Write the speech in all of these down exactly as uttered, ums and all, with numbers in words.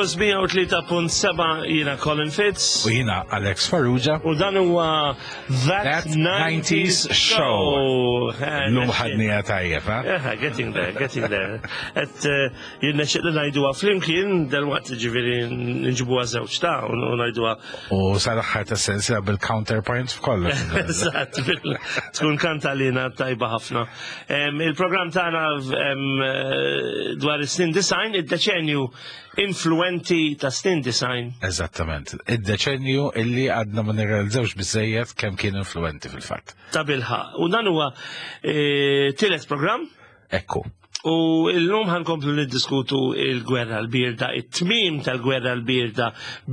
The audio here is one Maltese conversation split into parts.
Campus mija u tlieta punt seba', jiena Colin Fitz. U jiena Alex Farrugia. U dan huwa That, That nineties Show. Eh, Illum ħadnieha tajjeb, ha? Eh, getting there, getting there. Et jirna xeqli ngħiduha flimkien, dal-waqt ġifieri nġibuha żewġ ta' u ngħiduha. U sal-aħħar ta' sensiela bil-counterpoints f'kollox. Eżatt, bil- tkun kantalina tajba ħafna. Em, Il-programm tagħna em, eh, dwar is-snin disgħin, id-deċenju influenti ta' snin disgħin. Eżattament. Id-deċenju illi għadna ma nirrealizzawx biżejjed kemm kien influenti fil-fatt. Ta' bilħaqq. U dan huwa eh, tielet programm. Ekku. U illum ħa nkomplu niddiskutu il-gwerra l-birda, it-tmim tal-gwerra l-birda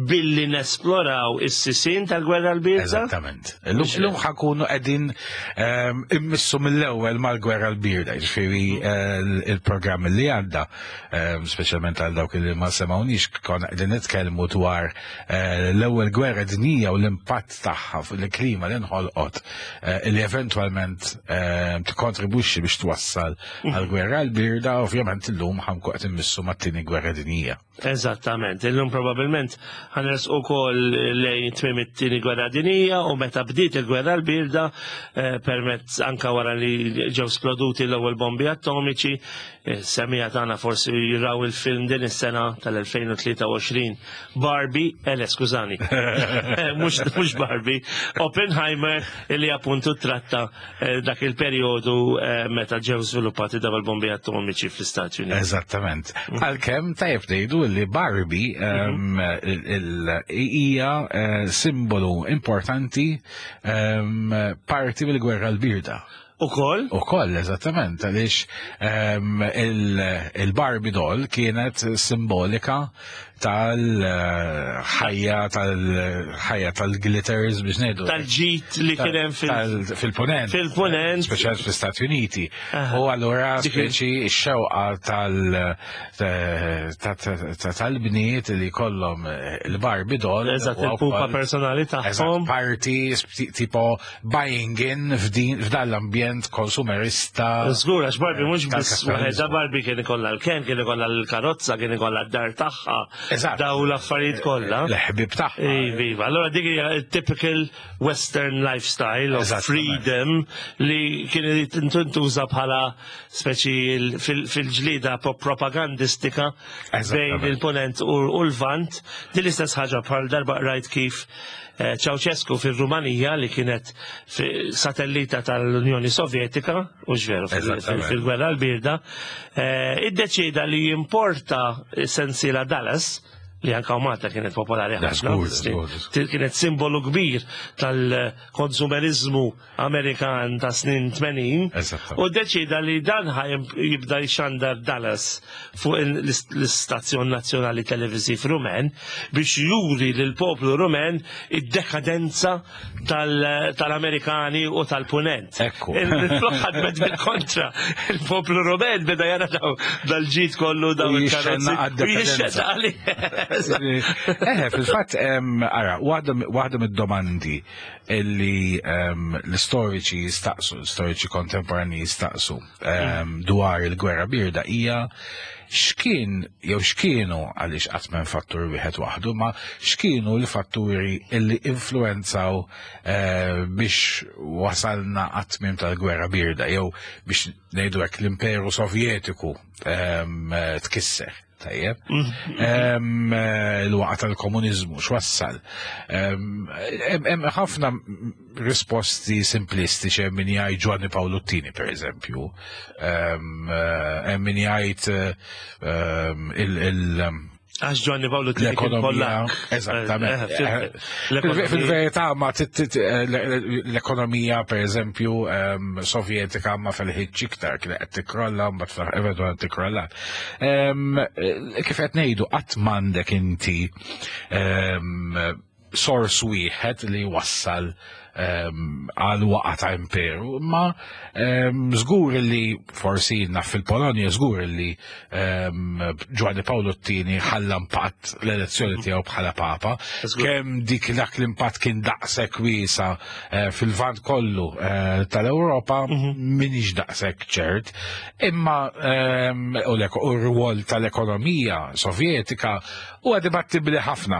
billi nesploraw is-sisin tal-gwerra l-birda. Eżattament. Illum illum ħa nkunu qegħdin ehm, immissu mill-ewwel mal-gwerra l-birda, ġifieri eh, il-programm li għadda, ehm, speċjalment għal dawk li ma semgħunix, konna qegħdin nitkellmu dwar eh, l-ewwel gwerra dinjija u l-impatt tagħha fuq il-klima li nħolqot eh, li eventwalment ehm, tikkontribwixxi biex twassal għal-gwerra l-birda. Ovvjament illum ħa nkunu qed immissu mat-tieni gwerra dinjija. Eżattament, illum probabilment ħa nersqu wkoll lejn tmiem it-tieni gwerra dinjija u meta bdiet il-gwerra l-birda eh, permezz anka wara li ġew sploduti l-ewwel bombi atomiċi, eh, semmiegħa tagħna forsi jiraw il-film din is-sena tal-elfejn u tlieta u għoxrin Barbie, ele skużani, mhux mhux Barbie, Oppenheimer, illi appuntu tratta eh, dak il-perjodu eh, meta ġew żviluppati dawn il-bombi atomiċi fl-Istati Uniti. Eżattament. Għalkemm tajjeb ngħidu li Barbie um, il- il- hija eh, simbolu importanti, um, parti mill-gwerra l-birda. Ukoll? U koll, eżattament, għaliex um, il- il-Barbie doll kienet simbolika tal-ħajja tal-ħajja tal-glitters, biex ngħidu. Tal-ġid li kien hemm fil- Tal- fil-ponent. Fil-ponent. Speċjalment fl-Stati Uniti. Aha. U allura Dik- speċi x-xewqa tal- ta- ta- ta- tal-bniet li kollhom il-Barbie doll. Eżatt, u il-pupa wkoll- personali Eżatt, tagħhom. parti sp- tipo buying in f'din- f'dan l-ambjent konsumerista. Żgur, għax Barbie mhux biss tal-kapitalizmu. waħedha, Barbie kien ikollha l-Ken, kien ikollha l-karozza, kien ikollha d-dar tagħha. Eżatt. Daw l-affarijiet kollha. L-ħbib tagħha. Iva, allora dik hija typical Western lifestyle of Eżattament. freedom li kien tintuża bħala speċi il- fil- fil-ġlida po- propagandistika bejn Eżattament. il-ponent u u l-vant. Din l-istess ħaġa bħal darba rajt kif eh, Ceausescu fil-Rumanija, li kienet fi- satellita tal-Unjoni Sovjetika, u ġveru fil- Eżattament. fil-gwerra l-birda, eh, iddeċida li jimporta sensiela Dallas, li anka u Malta kienet popolari Da, ħafna. żgur, żgur, żgur. Kienet simbolu kbir tal-konsumerizmu Amerikan ta' snin tmenin. Eżattament. U deċida li dan ħa jibda jxandar Dallas fuq il- l-istazzjon nazzjonali televiżiv Rumen biex juri lil poplu Rumen id-dekadenza tal- tal-Amerikani u tal-Punent. Ekku. Il-flok ħadmet bil-kontra. Il-poplu Rumen beda jara daw dal-ġid kollu, daw U il-karozzi. jixxenna għad-dekadenza. U jixxenna għalih. Eh, fil-fatt, em, ara, waħda waħda mid-domandi illi em, l-istoriċi jistaqsu, l-istoriċi kontemporani jistaqsu em, dwar il-gwerra birda hija x'kien jew x'kienu, għaliex qatt m'hemm fattur wieħed waħdu, ma x'kienu l-fatturi illi influenzaw eh, biex wasalna għat-tmiem tal-gwerra birda jew, biex ngħidu hekk, l-Imperu Sovjetiku em, eh, tkisser. Tajjeb. Em, eh, Il-waqgħa tal-komunizmu, x'wassal. Em, Hemm hemm ħafna risposti simplistiċi, hemm min jgħid Giovanni Paolo Tini, per eżempju. Em, eh, Hemm min jgħid eh, em, il- il- Għax Giovanni Paolo Tini kien l-ekonomija. Pollak. Eżattament. Eh, eh, Fil- Fil-verità, ma tit- tit- eh, l- l-ekonomija, per eżempju, em, sovjetika ma felħitx iktar, kien qed tikrolla, mbagħad eventualment tikrolla. Em, eh, Kif qed ngħidu, qatt m'għandek inti em, source wieħed li wassal għal waqa ta' imperu, imma żgur li forsi naf fil-Polonja żgur li Ġwanni Pawlu t-tieni ħalla impatt l-elezzjoni tiegħu bħala papa, kemm dik dak l-impatt kien daqshekk wiesa fil-Lvant kollu tal-Ewropa m'iniex daqshekk ċert, imma u r-rwol tal-ekonomija sovjetika huwa dibattibbli ħafna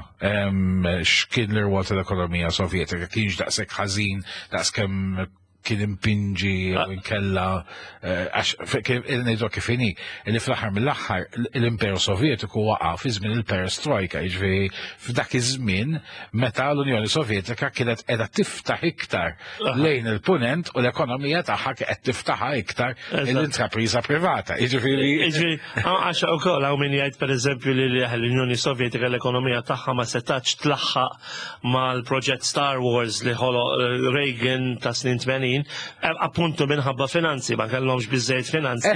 x'kien l-rwol tal-ekonomija sovjetika, kienx daqshekk ħażin daqskemm kien impinġi u nkella għax ngħidu kif inhi li fl-aħħar mill-aħħar l-Imperu Sovjetiku waqa' fi żmien il-Perestroika, jiġifieri f'dak iż-żmien meta l-Unjoni Sovjetika kienet qiegħda tiftaħ iktar lejn il-punent u l-ekonomija tagħha qed tiftaħha iktar l-intrapriża privata. Jiġifieri Jiġifieri għax ukoll hawn min jgħid pereżempju li l-Unjoni Sovjetika l-ekonomija tagħha ma setax tlaħħaq mal-proġett Star Wars li ħoloq Reagan ta' snin tmenin, appuntu minħabba finanzi, ma kellhomx biżejjed finanzi.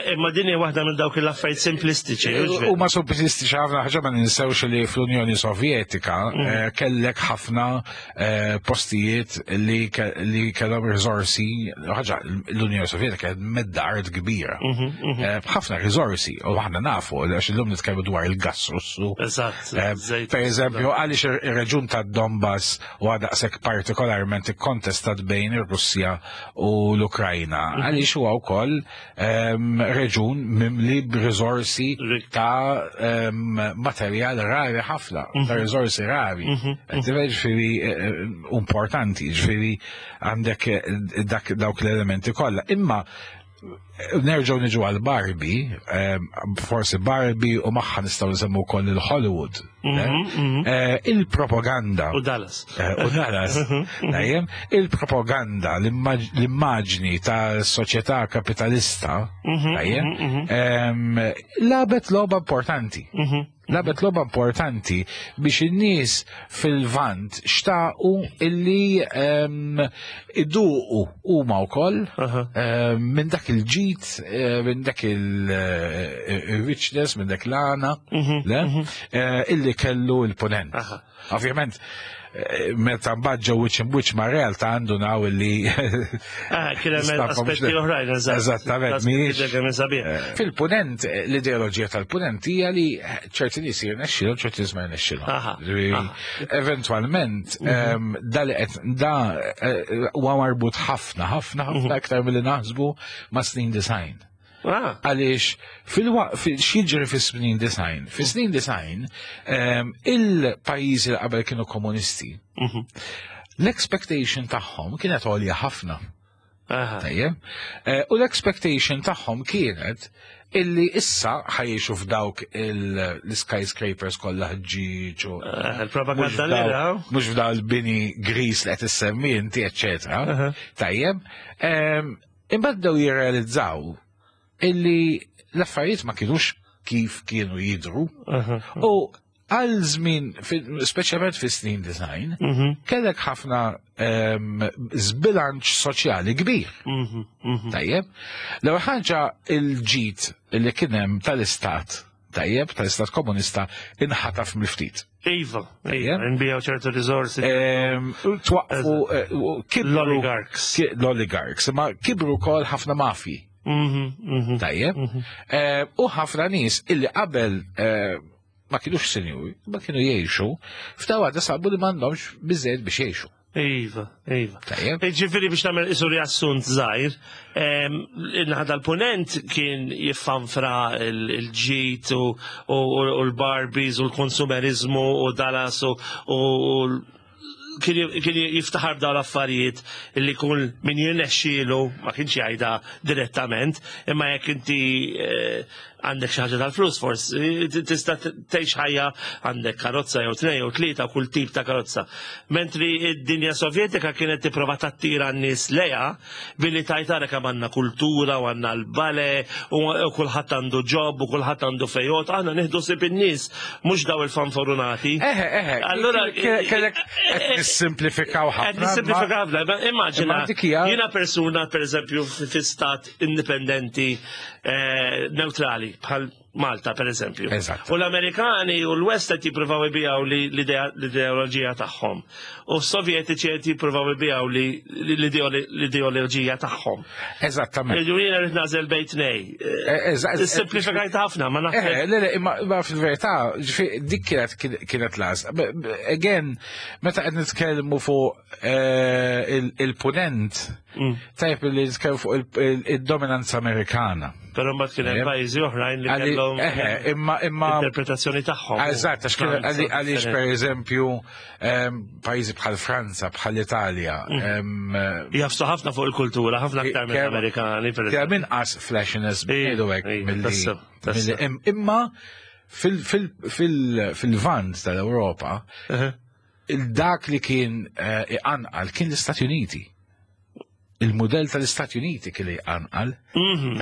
Imma din hija waħda minn dawk l-affarijiet simplistiċi. U ma simplistiċi ħafna ħaġa ma ninsewx li fl-Unjoni Sovjetika kellek ħafna postijiet li kellhom riżorsi, ħaġa l-Unjoni Sovjetika kienet medda art kbira. Ħafna riżorsi, u aħna nafu għax illum nitkellmu dwar il-gass Russu. Eżatt. Per eżempju, għaliex ir-reġjun tad-Donbass huwa daqshekk partikolarment ikkontestat bejn ir-Russja u l-Ukrajna, għaliex huwa wkoll reġun mimli b'riżorsi ta' materjal rari ħafna, ta' riżorsi rari. Ġifieri importanti, ġifieri għandek dak dawk l-elementi kollha. Imma nerġgħu niġu għal Barbie, forsi Barbie u magħha nistgħu nsemmu wkoll il-Hollywood. Il-propaganda. U Dallas. U Dallas. Dejjem, il-propaganda, l-immaġni ta' soċjetà kapitalista, dejjem, lagħbet logħba importanti. Lagħbet logħba importanti biex in-nies fil-Lvant xtaqu illi iduqu huma wkoll minn dak il-ġid, minn dak il-richness, minn dak l-għana, illi kellu il-punent. Ovvjament, meta mbagħad ġew wiċċ imwiċċ ma' realtà għandu naw illi. Kien hemm aspetti oħrajn, eżattament. Fil-punent, l-ideoloġija tal-punent hija li ċerti nies jirnexxilhom, ċerti nies ma jirnexxilhom. Eventwalment, da li qed da huwa marbut ħafna, ħafna, ħafna aktar milli naħsbu ma' snin disgħin. Għaliex x'jiġri fis-snin disgħin? Fis-snin disgħin il-pajjiżi li qabel kienu komunisti, l-expectation tagħhom kienet għolja ħafna. Tajjeb? U l-expectation tagħhom kienet illi issa ħa jgħixu f'dawk l-skyscrapers kollha ħġieġ u Il-propaganda li raw. Mhux f'daw il-bini gris li qed issemmi inti, eċċetera. Tajjeb. Imbagħad bdew jirrealizzaw illi l-affarijiet ma kienux kif kienu jidru. U għal żmien, speċjalment fi snin disgħin, kellek ħafna żbilanċ soċjali kbir. Tajjeb. L-ewwel ħaġa il-ġid li kien hemm tal-istat, tajjeb, tal-istat komunista inħataf mill-ftit. Iva, iva, nbijaw ċertu riżorsi. Twaqfu kibru L-oligarchs. L-oligarchs, ma kibru wkoll ħafna mafji. Tajjeb. U ħafna nies illi qabel ma kienux sinjuri, ma kienu jgħixu, f'daqqa sabu li m'għandhomx biżejjed biex jgħixu. Iva, iva. Tajjeb. Ġifieri biex nagħmel isu riassunt żgħir, in-naħa tal-punent kien jiffanfra il-ġid u l-Barbies u l-konsumerizmu u Dallas u kien jiftaħar b'dawn l-affarijiet li kull min jirnexxielu, ma kienx jgħidha direttament, imma jekk inti għandek xi ħaġa tal-flus forsi tista' tgħix ħajja għandek karozza jew tnejn jew tlieta kull tip ta' karozza. Mentri id-dinja Sovjetika kienet tipprova tattira n-nies lejha billi tajt ara kemm għandna kultura u għandna l-bale u kulħadd għandu job u kulħadd għandu fejot, aħna nieħdu sib in-nies mhux daw il-fanfarunati. Eħe, eħe. Allura kellek qed nissimplifikaw ħafna. Qed nissimplifikaw ħafna, immaġina Imma dik hija- jiena persuna pereżempju fi stat indipendenti neutrali bħal Malta, per eżempju. Eżatt. U l-Amerikani u l-West qed jippruvaw ibijaw li l-ideoloġija tagħhom. U s-Sovjetiċi qed jippruvaw ibijaw li l-ideoloġija tagħhom. Eżattament. Jiena rrid nagħżel bejn tnejn. Eh, Simplifikajt ħafna, ma nafx. Eh, le, le, imma fil-verità, dik kienet kienet l Again, meta qed nitkellmu fuq eh, il-punent, mm. tajb li nitkellmu fuq il-dominanza Amerikana. Però mbagħad kien hemm pajjiżi oħrajn li kellhom imma imma interpretazzjoni tagħhom. Eżatt, għax għaliex pereżempju pajjiżi bħal Franza, bħal Italja. Mm. Jagħfsu ħafna fuq il-kultura, ħafna aktar mill-Amerikani. Kemm inqas flashiness ngħidu hekk milli imma fil-Lvant tal-Ewropa, il-dak li kien eh, iqanqal kien l-Istati Uniti. Il-modell tal-Istati Uniti kien iqanqal. Mhm,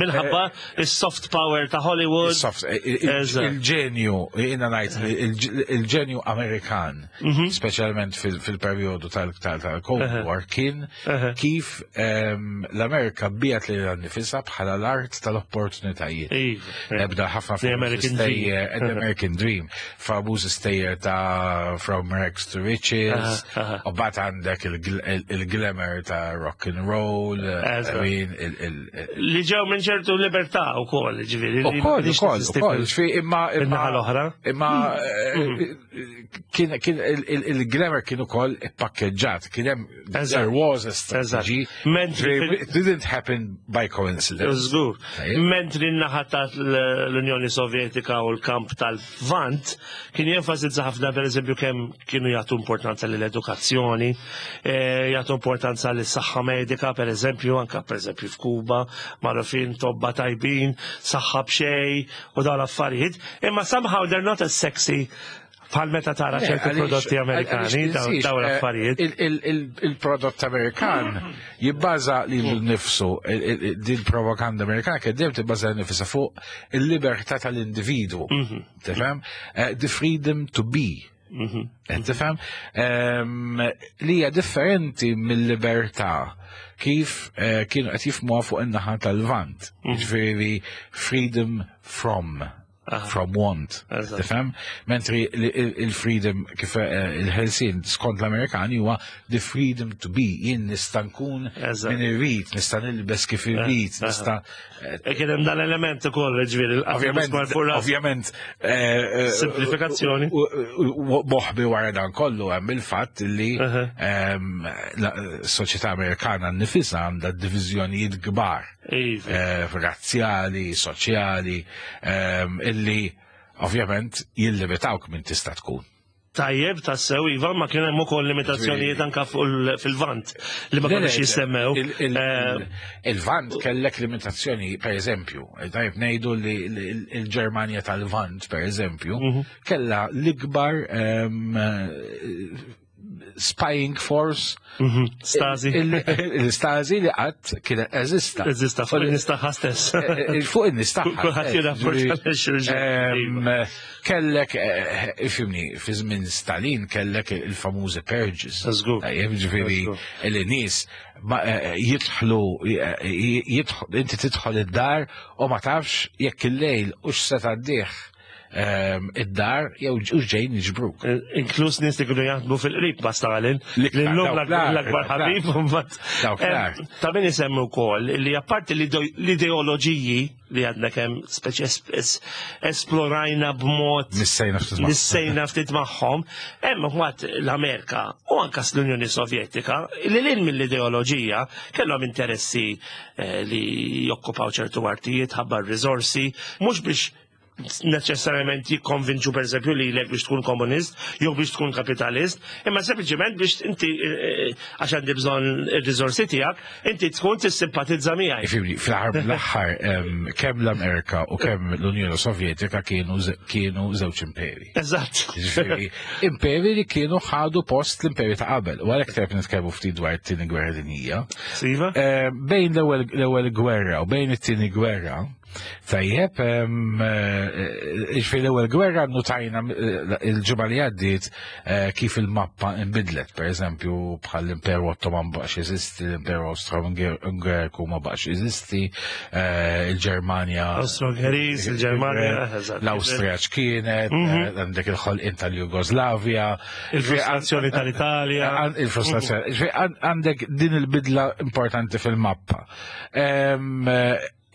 minħabba il-soft power ta' Hollywood. Il-ġenju, jiena ngħid, il-ġenju Amerikan, mhm. speċjalment fil-periodu tal-Cold War, kien kif ehm, l-Amerika biegħet lilha nnifisha bħala l-art tal-opportunitajiet. Ebda ħafna American Dream. American Dream. Famuż stejjer ta' From Rags to Riches, u mbagħad għandek il-glamour ta' rock and roll, li ġew minn ċertu libertà u koll, ġifieri. U koll, u koll, u koll, ġifieri, imma. Imma l-oħra. Imma kien il-glamour kien ukoll pakkegġat, kien hemm there was a strategy. Mentri It didn't happen by coincidence. Żgur. Mentri n-naħa l-Unjoni Sovjetika u l-kamp tal-Lvant kien jenfasizza ħafna, per eżempju, kemm kienu jagħtu importanza l-edukazzjoni, eh, jagħtu importanza lis-saħħa medika, per eżempju, anka per eżempju f'Kuba, magħrufin tobba tajbin, saħħa b'xejn u dawn l-affarijiet. Imma somehow they're not as sexy bħal meta tara ċerti prodotti Amerikani, dawn l-affarijiet. Il-prodott Amerikan jibbaża lilu nnifsu, din propaganda Amerikana kien dejjem tibbaża nifisha fuq il-libertà tal-individwu. Mhm. Tifhem? Eh, the freedom to be. Mhm. Tifhem? Li hija differenti mill-libertà kif eh, kienu qed jifhmuha fuq in-naħa tal-Lvant. Mhm. Ġifieri freedom from from want. Tifhem? Mentri il-freedom kif eh, il-ħelsien skont l-Amerikani huwa the freedom to be. Jien nista' nkun min irrid, nista' nilbes kif irrid, nista' eh, Kien hemm dan element ukoll, ġifieri. Ovvjament, ovvjament eh, simplifikazzjoni. Moħbi wara dan kollu hemm il-fatt li ehm, s-soċjetà Amerikana nnifisha għandha diviżjonijiet kbar. Iva. Razzjali, soċjali, ehm, illi ovvjament jillimitawk minn tista' tkun. Tajjeb, tassew, Iva, ma kien hemm ukoll limitazzjonijiet anka fil-Lvant li ma kienux jissemmew. Eh, Il-Lvant kellek limitazzjoni, per eżempju, tajjeb ngħidu li l-Ġermanja tal-Lvant, per eżempju, mhm. kella l-ikbar ehm, spying force. Mhm. Stasi. Il-Stasi li qatt kien eżista. Eżista fuq in-nies tagħha stess. Eh, eh, fuq in-nies tagħha. Kulħadd jirrapporta Ehm, Kellek, eh, ifhimni, fi żmien Stalin kellek il-famużi purges. Żgur. Tajjeb, ġifieri il-nies ma- eh, jidħlu, jidħlu, inti tidħol id-dar u ma tafx jekk il-lejl u x'se tgħaddih ehm, id-dar jew u ġejn jiġbruk. Inkluż nies li kienu jaħdmu fil-qrib ma' Stalin. L-iktar, L-lum dawk l-agħar, l-akbar dawk ħabib. mbagħad, Dawk em, l-agħar. Ta' min isemmu wkoll li apparti l-ideoloġiji li għadna kemm speċi es- es- esplorajna b'mod Missejna ftit magħhom. nissejna ftit magħhom, hemm waqt l-Amerika u anka l-Unjoni Sovjetika li lil mill-ideoloġija kellhom interessi eh, li jokkupaw ċertu artijiet, ħabba r-riżorsi, mhux biex neċessarjament jikkonvinċu per eżempju li lek biex tkun komunist jew biex tkun kapitalist, imma sempliċement biex inti eh, għax għandi bżonn ir-riżorsi tiegħek, inti tkun tissimpatizza miegħi. Ifhimni, fl-aħħar mill-aħħar em, kemm l-Amerika u kemm l-Unjoni Sovjetika kienu ze- kienu żewġ imperi. Eżatt. Ġifieri, imperi li kienu ħadu post l-imperi ta' qabel. U għalhekk tajjeb nitkellmu ftit dwar it-tieni gwerra dinjija. Siva? Eh, Bejn l-ewwel l-ewwel gwerra u bejn it-tieni gwerra, Tajjeb, ġifieri l-ewwel gwerra notajna il-ġimgħa li għaddiet kif il-mappa inbidlet, per eżempju bħal l-Imperu Ottoman baqax jeżisti, l-Imperu Austro-Ungeriku ma baqax jeżisti, il-Ġermanja. Austro-Ungeriż, il-Ġermanja, l-Awstrija x'kienet, għandek il-ħolqien tal-Jugoslavja. Il-frustrazzjoni tal-Italja. Il-frustrazzjoni. Għandek din il-bidla importanti fil-mappa.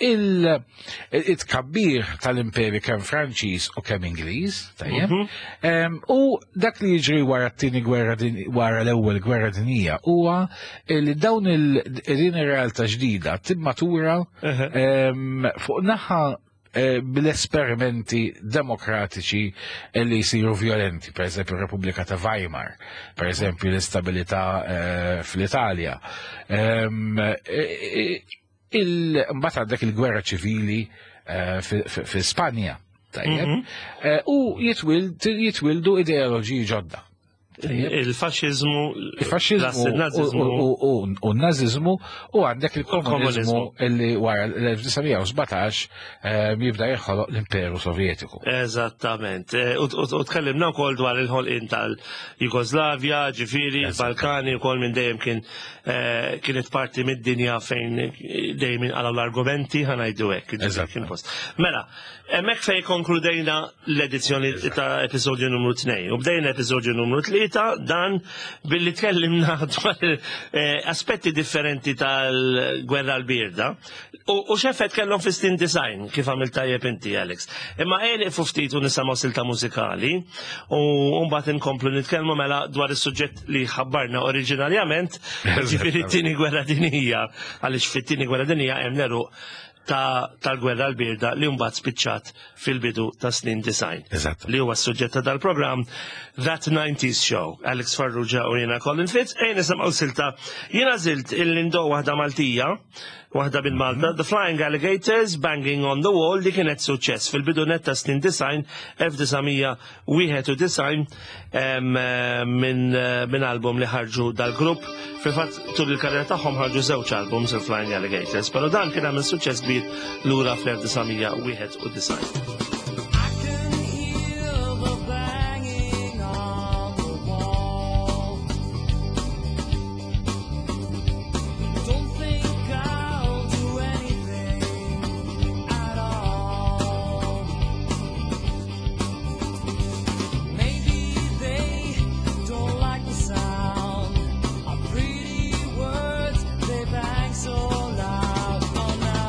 Il-tkabbir tal-imperi kemm Franċiż u kemm Ingliż, tajjeb, u dak li jiġri wara t-tieni gwerra wara l-ewwel gwerra dinjija huwa li dawn il-din ir-realtà ġdida timmatura fuq naħa bil-esperimenti demokratiċi li jisiru violenti, per eżempju Repubblika ta' Weimar, per eżempju l-istabilità fl-Italja. Mbagħad għandek il-gwerra ċivili fi Spanja, tajjeb, u jitwildu ideoloġiji ġodda. Il-faxxiżmu, il-faxxiżmu u n-naziżmu, u għandek il-komuniżmu illi wara l-elf disa' mija u sbatax jibda jinħoloq l-Imperu Sovjetiku. Eżattament. U tkellimna wkoll dwar il-ħolqien tal-Jugoslavja, ġifieri, Balkani wkoll minn dejjem kien kienet parti mid-dinja fejn dejjem inqalgħu l-argumenti, ħa ngħidu hekk. Mela, hemmhekk fejn konkludejna l-edizzjoni ta' episodju numru tnejn u bdejna episodju numru tlieta dan billi tkellimna dwar aspetti differenti tal-gwerra l-birda u x'effett kellhom fis-snin design kif għamil tajjeb inti, Alex. Imma ejja nieqfu ftit u nisimgħu silta mużikali u mbagħad inkomplu nitkellmu mela dwar is-suġġett li ħabbarna oriġinarjament, ġifieri t-tieni gwerra dinjija, għaliex fit-tieni gwerra dinjija hemm neruq tal-gwerra l-birda li mbagħad spiċċat fil-bidu ta' snin design. Li huwa s-suġġett ta' dal-programm That nineties Show. Alex Farrugia u jiena Colin Fitz, ejja nisimgħu silta. Jiena żilt il-lindo waħda Maltija, waħda minn Malta, The Flying Alligators, Banging on the Wall, li kienet suċċess fil-bidu net ta' snin design, elf disa' mija wieħed u disgħin, minn album li ħarġu dal-grupp. Fil-fatt tul il-karriera tagħhom ħarġu żewġ albums il-Flying Alligators, però dan kien għamel suċċess kbir lura fl-elf disa' mija wieħed u disgħin. So loud, oh no.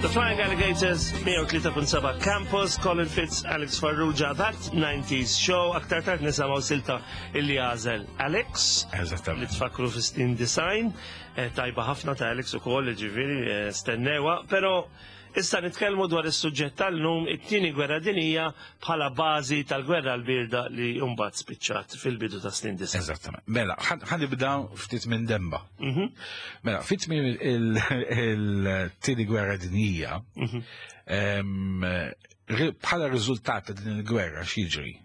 The Flying Alligators, mija u tlieta punt seba' Campus, Colin Fitz, Alex Farrugia, That nineties Show, aktar tard nisimgħu silta illi għażel Alex, li Eżattament. tfakru fi snin disgħin, eh, tajba ħafna ta' Alex u koll, ġifieri, eh, stennewha, pero issa nitkellmu dwar is-suġġett tal-lum, it-tieni gwerra dinija bħala bażi tal-gwerra l-birda li mbagħad spiċċat fil-bidu ta' snin disgħin. Eżattament. Mela, ħa nibda ftit minn demba. Mhm. Mela, fit minn il-tieni gwerra dinija, Mhm. em, ri- bħala riżultat ta' din il-gwerra x'jiġri?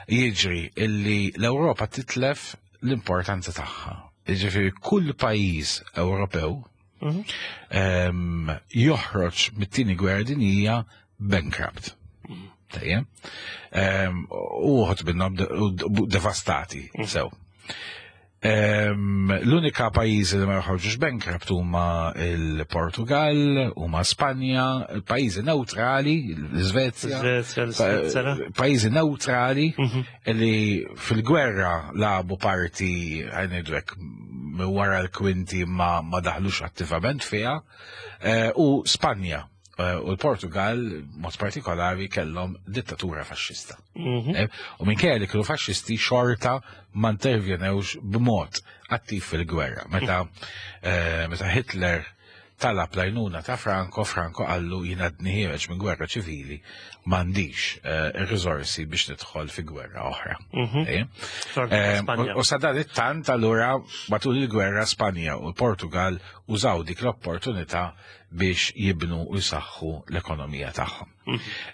Jiġri illi l-Ewropa titlef l-importanza tagħha. Jiġifieri kull pajjiż Ewropew Mhm. em, joħroġ mit-tieni gwerra dinija bankrupt. Tajjeb? Em, U uħud minnhom de- u devastati, sew. Em, L-unika pajjiżi li ma joħorġux bankrupt huma il-Portugal, huma Spanja, pajjiżi neutrali, l-Svezja, Svezja, l-Svizzera. pajjiżi neutrali Mhm. li fil-gwerra lagħbu parti, ħa ngħidu hekk, wara l-kwinti ma, ma daħlux attivament fiha, eh, u Spanja eh, u l-Portugal, mod partikolari, kellhom dittatura faxxista. Mhm. Eh, U minkejja li kienu faxxisti xorta ma intervjenewx b'mod attiv fil-gwerra. Meta, eh, meta Hitler talab l-għajnuna ta' Franco, Franco qallu jien għadni ħiereġ minn gwerra ċivili, m'għandix eh, ir-riżorsi biex nidħol fi gwerra oħra. Mhm. Eh? Franco, Eh, Spanja. U u sadanittant allura matul il-gwerra Spanja u l-Portugal użaw dik l-opportunità biex jibnu u jsaħħu l-ekonomija tagħhom.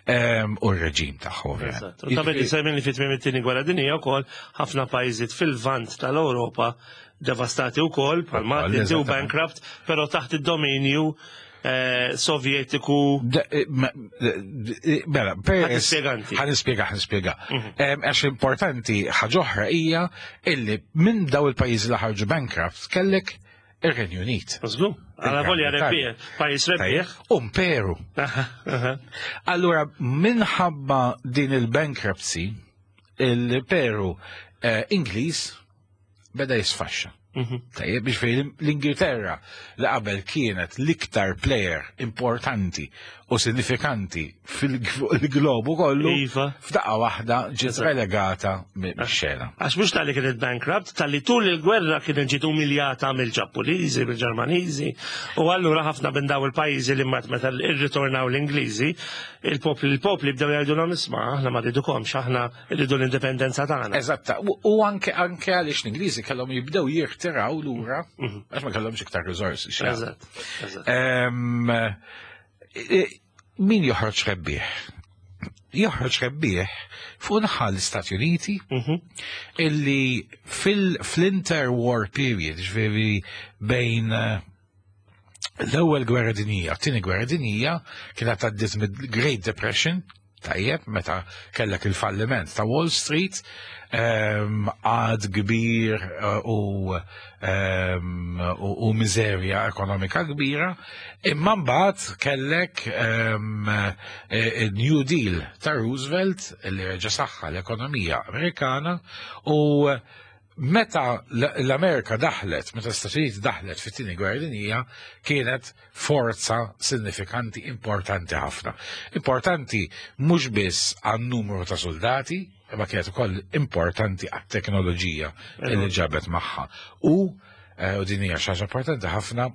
Em, U r-reġim tagħhom, ovvjament. Eżatt. U ta' bedi semmin li fit-tmiem it-tieni gwerra dinjija wkoll ħafna pajjiżiet fil-vant tal-Ewropa devastati wkoll bħal Malta u eżattament. bankrupt, però taħt id-dominju eh, Sovjetiku. Da- eh, ma- eh, Mela, per Ħa tispjega inti. Ħa nispjega, ħa nispjega. Em, Għax importanti ħaġa oħra hija illi minn daw il-pajjiżi li ħarġu bankrupt kellek ir-Renju Unit. Żgur, għala volja rebbieħ, pajjiż rebbieħ. Imperu. Aha, aha. Allura, minħabba din il-bankruptcy, il-Imperu eh, Ingliż beda jisfaxxa. Mhm. Tajjeb, biex fejn l-Ingilterra li qabel kienet l-iktar player importanti u sinifikanti fil-globu kollu, Iva. f'daqqa waħda ġiet Eżatt. relegata mix-xena. Għax mhux talli kienet bankrupt, talli tul il-gwerra kienet ġiet umiljata mill-Ġappuniżi, mill-Ġermaniżi, u allura ħafna minn daw il-pajjiżi li mat meta irritornaw l-Ingliżi, il-popli il-popli bdew jgħidulhom isma' aħna ma rridukomx, aħna rridu l-indipendenza tagħna. Eżatta, u u anke anke għaliex l-Ingliżi kellhom jibdew jirtiraw lura għax ma kellhomx iktar riżorsi. x'jagħmlu. Eżatt, eżatt. Em, e- Min joħroġ rebbieħ? Joħroġ rebbieħ fuq naħa l-Istati Uniti Mhm. illi fil-interwar period, ġifieri bejn eh, l-ewwel gwerra dinjija, t-tieni gwerra dinjija, kienet għaddiet mid-Great Depression, tajjeb, meta kellek il-falliment ta' Wall Street, em, għad kbir eh, u, em, u, u miżerja ekonomika kbira, imma mbagħad kellek em, eh, il-New Deal ta' Roosevelt li reġa' saħħa l-ekonomija Amerikana u meta l- l-Amerika daħlet, meta l-Stati Uniti daħlet fit-tieni gwerra dinjija, kienet forza sinifikanti importanti ħafna. Importanti mhux biss għan numru ta' soldati, imma kienet ukoll importanti għat-teknoloġija li ġabet magħha. U eh, u din hija xi ħaġa importanti ħafna,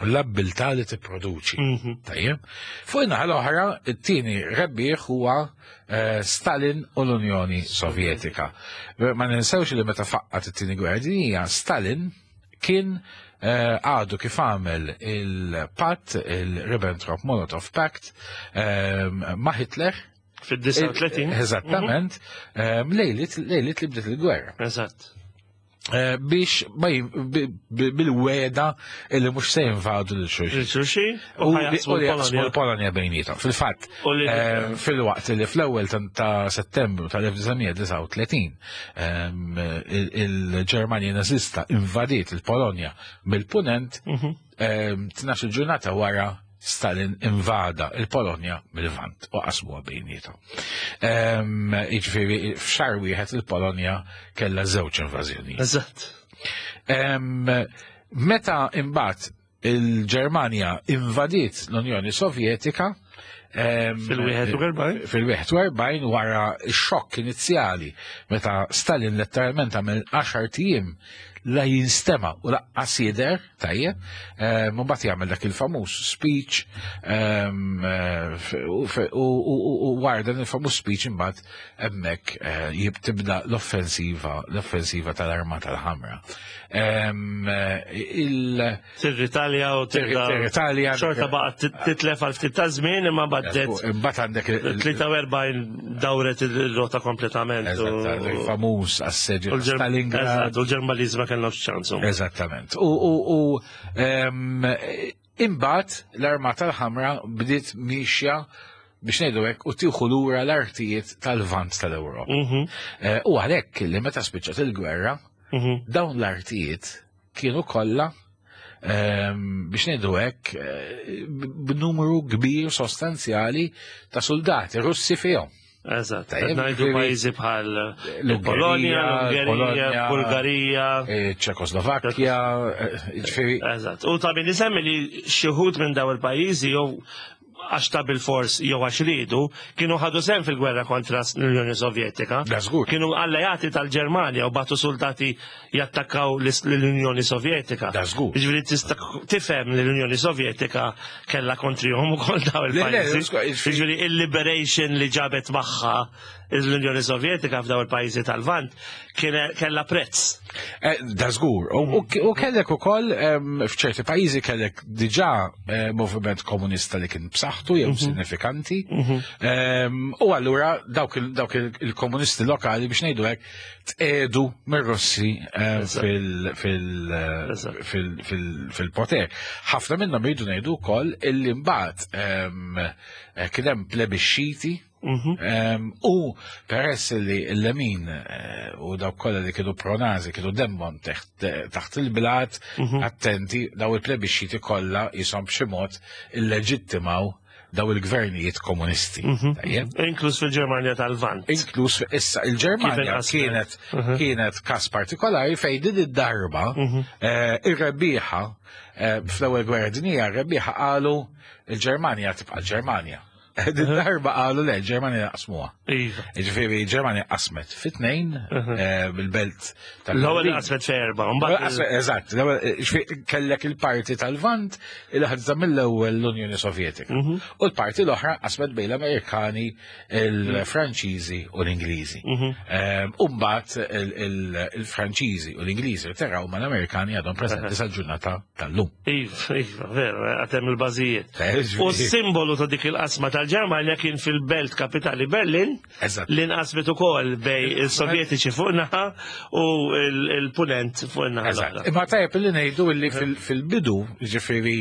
l-abbiltà li tipproduċi. Mhm. Tajjeb. Fuq in-naħa l-oħra, it-tieni rebbieħ huwa eh, Stalin u l-Unjoni Sovjetika. Ma ninsewx li meta faqqat it-tieni gwerra dinjija, Stalin kien eh, għadu kif għamel il-patt, il-Ribbentrop-Molotov Pact, eh, ma' Hitler. Fid-disgħa u tletin. Eżattament, eh, lejlit lejlit li bdiet il-gwerra. Eżatt. Eh, biex ma jim- bi- bi- bil-wegħda illi mhux se jinvadu lil xulxin. Il-xulxin U u li ħa jaqsmu u li jaqsmu l-Polonja. l-Polonja bejnietom. Fil-fatt, U li- eh, fil-waqt li fl-ewwel ta- ta' Settembru tal-elf disa' mija disgħa u tletin ehm, il- il-Ġermanja nazista invadiet il-Polonja mill-punent, Mhm. ehm, tnax-il ġurnata wara Stalin invada il-Polonja mill-Lvant u qasmuha bejnietom. Ehm, Jiġifieri f'xahar wieħed il-Polonja kellha żewġ invażjonijiet. Eżatt. Em, Meta imbagħad Il-Ġermanja invadiet l-Unjoni Sovjetika fil-wieħed u erbgħin. Fil-wieħed u erbgħin, wara x-xokk inizjali meta Stalin letteralment għamel għaxart ijiem la jinstema u lanqas jidher, tajjeb, mbagħad jagħmel dak il-famuż speech u wara dan il-famuż speech imbagħad hemmhekk eh, tibda l-offensiva l-offensiva tal-Armata l-Ħamra. Tir-Italja u Tir-Italja. Xorta baqgħet titlef għal ftit ta' żmien, imma baddet. Imbagħad għandek tlieta u erbgħin dawret il-rota kompletament. Il-famuż assedju Stalingrad. U l-Ġermaniż ma kellhomx ċans. Eżattament. U imbagħad l-Armata l-Ħamra bdiet mixja, biex ngħidu hekk, u tieħu lura l-artijiet tal-Lvant tal-Ewropa. Mhm. Eh, u għalhekk li meta spiċċat il-gwerra, mhm. dawn l-artijiet kienu kollha, biex ngħidu hekk, eh, b'numru kbir sostanzjali ta' soldati Russi fihom. Eżatt, ngħidu pajjiżi bħal Polonja, l-Ungerija, Bulgarija, eh, Ċekoslovakkja, ġifieri. Eżatt. U ta' min isemmi li xi wħud minn daw il-pajjiżi, jew għax ta' bil-fors jew għax ridu, kienu ħadu sehem fil-gwerra kontra l-Unjoni Sovjetika. Kienu alleati tal-Ġermanja u bagħtu soldati jattakkaw l-Unjoni Sovjetika. Ġifieri tista' tifhem li l-Unjoni Sovjetika kellha kontrihom ukoll daw il-pajjiżi. Ġifieri il-liberation li ġabet magħha l-Unjoni Sovjetika f'daw il-pajjiżi tal-Lvant kellha prezz. Eh, da żgur. U kellek ukoll f'ċerti pajjiżi kellek diġà eh, moviment komunista li kien b'saħħtu jew mhm. sinifikanti. Mhm. U allura dawk il-komunisti lokali, biex ngħidu hekk, tqedu mir-Russi fil-poter. Ħafna minnhom, jridu ngħidu wkoll illi mbagħad eh, kien hemm plebisciti. Mhm. U peress li l-lemin eh, u dawk kollha li kienu pronazi kienu demmhom taħt il-blat, mhm. attenti, daw il-plebisciti kollha jisom b'xi mod illeġittimaw daw il-gvernijiet komunisti. Mhm. Inkluż fil-Ġermanja tal-Lvant. Inkluż issa il-Ġermanja kienet kienet kas partikolari fejn din id-darba eh, ir-rebbieħa eh, fl-ewwel gwerra dinjija, ir-rebbieħa qalu il-Ġermanja tibqa' l-Ġermanja. Din darba qalu le, il-Ġermanja naqsmuha. Iva. Ġifieri Ġermanja qasmet fit-tnejn eh, bil-belt tal L-ewwel qasmet f'erba', mbagħad. Eżatt, ġifieri kellek il-parti tal-Lvant il ħadza mill-ewwel l-Unjoni Sovjetika. Mhm. U l-parti l-oħra qasmet bejn l-Amerikani, il-Franċiżi u l-Ingliżi. Mhm. Ehm, u mbagħad il-Franċiżi u l-Ingliżi teraw, ma l-Amerikani għadhom preżenti sal-ġurnata tal-lum. Iva, iva, veru, għad hemm il-bażijiet. Eh, U s-simbolu ta' dik il-qasma tal-Ġermanja kien fil-belt kapitali Berlin, Eżatt. li nqasmet ukoll bejn il-Sovjetiċi fuq naħa u il-Punent fuq naħa Eżatt. l-oħra. Imma tajjeb li ngħidu li fil- fil-bidu, ġifieri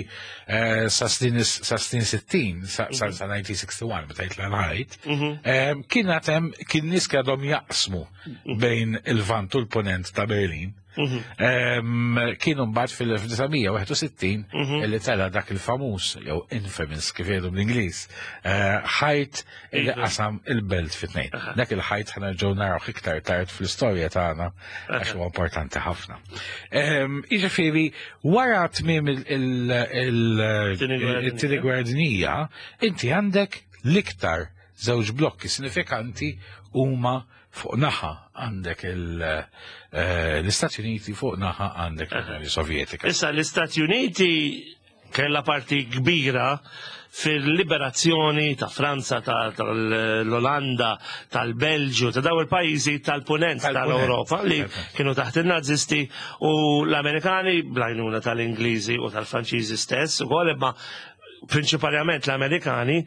eh, sa snin sa snin sittin, sa sa- sa elf disa' mija u wieħed u sittin meta jitla' l-ħajt, Mhm. eh, kien għad hemm kien nies għadhom jaqsmu bejn il-Lvant u l-Ponent ta' Berlin. Mhm. Em, Kienu mbagħad fil-elf disa' mija u wieħed u sittin Mhm. illi tela dak il-famuż jew infamous, kif jgħidu bl-Ingliż, eh, ħajt illi Iva. qasam il-belt fit-tnejn. Dak il-ħajt ħa nerġgħu naraw iktar tard fl-istorja tagħna għax huwa importanti ħafna. Em, Jiġifieri wara tmiem Tieni gwerra il-tieni gwerra dinjija, inti għandek l-iktar żewġ blokki sinifikanti huma fuq naħa għandek il- eh, l-Istati Uniti, fuq naħa għandek l-Unjoni Sovjetika. Issa l-Istati Uniti kella parti kbira fil-liberazzjoni ta' Franza, ta' tal-Olanda, tal-Belġu, ta' daw il-pajjiżi tal-punent Tal-punent. tal-Europa li Tal-punent. kienu taħt il-Nazisti, u l-Amerikani bl-għajnuna tal-Ingliżi u tal-Franċiżi stess u imma prinċipalment l-Amerikani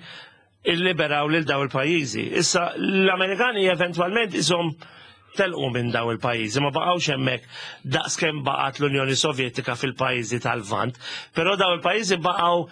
illiberaw lil daw il-pajjiżi. Issa l-Amerikani eventwalment isom telqu minn daw il-pajjiżi, ma baqgħux hemmhekk daqskemm baqgħet l-Unjoni Sovjetika fil-pajjiżi tal-Lvant, però daw il-pajjiżi baqgħu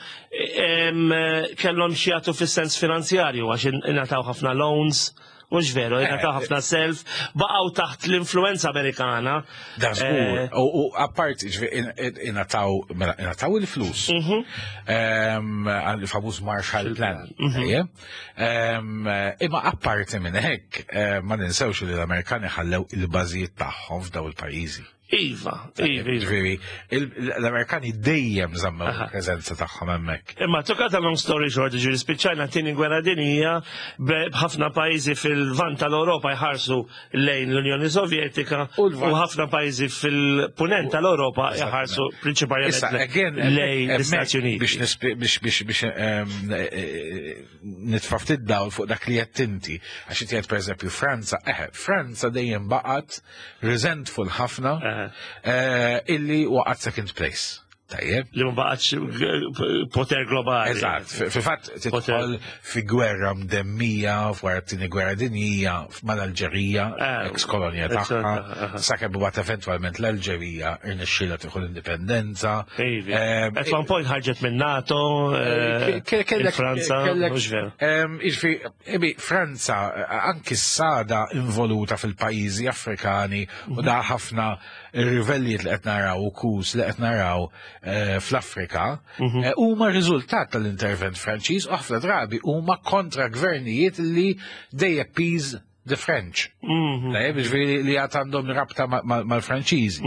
em, kellhom xi jagħtu fis-sens finanzjarju għax ingħataw ħafna loans, mhux veru, ingħataw ħafna self, baqgħu taħt l-influenza Amerikana. Da żgur. Eh, U u apart, ġifieri, in- in- ingħataw mela, ingħataw il-flus. Mhm. Em, għal-famuż Marshall Plan. Mhm. Ejja. Em, Imma apparti minn hekk, eh, ma ninsewx li l-Amerikani ħallew il-bażijiet tagħhom f'daw il-pajjiżi. Iva, iva, iva. Ġifieri, il- l-Amerikani dejjem żammew il-preżenza tagħhom hemmhekk. Imma to cut a long story short, ġifieri spiċċajna t-tieni gwerra dinjija b'ħafna pajjiżi fil-lvant tal-Europa jħarsu lejn l-Unjoni Sovjetika U u l-Lvant- ħafna pajjiżi fil-punent tal-Europa jħarsu Issa, prinċipalment again, lejn hemmhekk l-Istati Uniti. Biex nispi- biex biex biex ehm, eh, eh, nitfa' ftit dawl fuq dak li qed inti. Għax inti qed pereżempju Franza, eh, Franza dejjem baqgħet resentful ħafna Eh. eh, illi waqgħet second place. Tajjeb. Li ma baqgħetx poter globali. Eżatt, fil-fatt tidħol fi gwerra mdemmija, wara t-tieni gwerra dinjija, mal-Alġerija, Eh, ex-kolonja eżatt, tagħha, aha. sakemm mbagħad eventwalment l-Alġerija irnexxielha tieħu l-indipendenza. Ivi. Ehm, At one point ħarġet minn NATO, eh, Ke- kellek- il-Franza, kellek- mhux veru. Ehm, Jiġifieri, ebi, Franza, eh, anki s-sada involuta fil-pajjiżi Afrikani u da ħafna rivellijiet li qed naraw u coups li qed naraw eh, fl-Afrika eh, huma riżultat tal-intervent Franċiż u ħafna drabi huma kontra gvernijiet li they appease the French. Tajjeb, Jiġifieri li għad għandhom rabta ma- ma- mal-Franċiżi.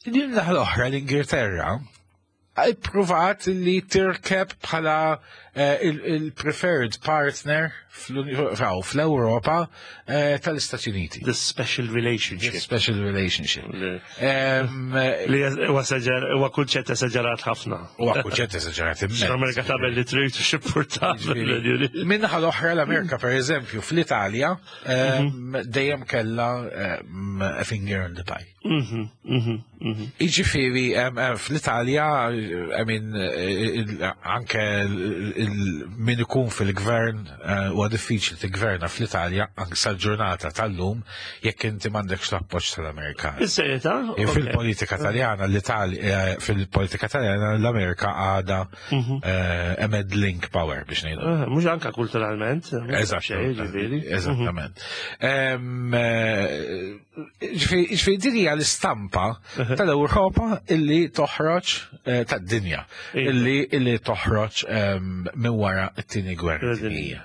Din l-oħra l-Ingilterra ippruvat li tirkeb bħala eh, il- il-preferred partner fl-Europa eh, tal-Istati Uniti. The special relationship. Special relationship. Li Em, li huwa esaġer- huwa kunċett esaġerat ħafna. Huwa kunċett esaġerat immens. L-Amerika tagħmel li trid u x'impurtat. Min-naħa l-oħra l-Amerika, per eżempju, fl-Italja, em, dejjem kella em, a finger in the pie. Mhm, mhm, mhm. Iġifieri, em, em, fl-Italja, I mean, eh, il- anke il- il- min ikun fil-gvern, eh, huwa diffiċli tigverna fl-Italja, anke sal-ġurnata tal-lum, jekk inti m'għandekx l-appoġġ tal-Amerikani. Is-serjetà? E Fil-politika taljana, l-Italja, fil-politika taljana, l-Amerika għada eh, a meddling power biex ngħidu. Eh, Mhux anka kulturalment. mhux Eżatt. xejn, ġifieri. Eżattament. Em, eh, Ġifieri ġifieri din hija l-istampa tal-Ewropa illi toħroġ eh, tad-dinja Iva. illi illi toħroġ em, minn wara t-tieni gwerra dinjija.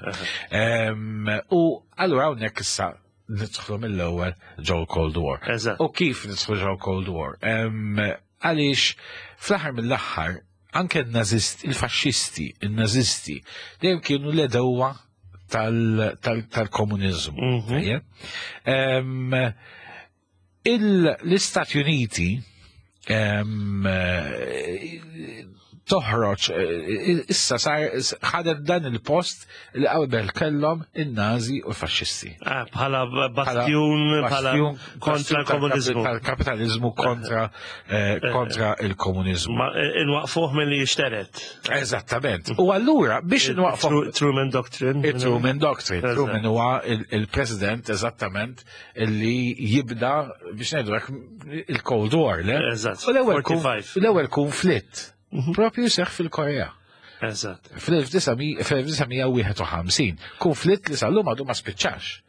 Em, U allura hawnhekk issa nidħlu mill-ewwel ġo Cold War. Eżatt. U kif nidħlu ġo Cold War? Em, Għaliex fl-aħħar mill-aħħar anke n-nazist, il-faxxisti, il-nazisti, dejjem kienu l-għedewwa tal-komunizmu. Mhm. Tajjeb? Em, il- L-Istati Uniti em, eh, toħroġ eh, issa sar ħadet dan il-post li qabel kellhom in-Nazi u l-faxxisti. Ah, Bħala bastjun, bħala Bastjun- kontra bastjun l-komunizmu. Tal-kapitalizmu kontra eh, kontra il-komunizmu. Ma inwaqfuh minn li jixteret. Eżattament. U allura biex nwaqfu Tru- Truman Doctrine. Il-Truman Doctrine. Eżatt. Truman huwa il- il-president eżattament li jibda biex ngħidu hekk il-Cold War, le? Eżatt, U l-ewwel konf- forty-five. L-ewwel konflitt propju seħħ fil-Korea. Eżatt. Fl-elf disa' mija wieħed u ħamsin. Konflitt li sal-lum għadu ma spiċċax.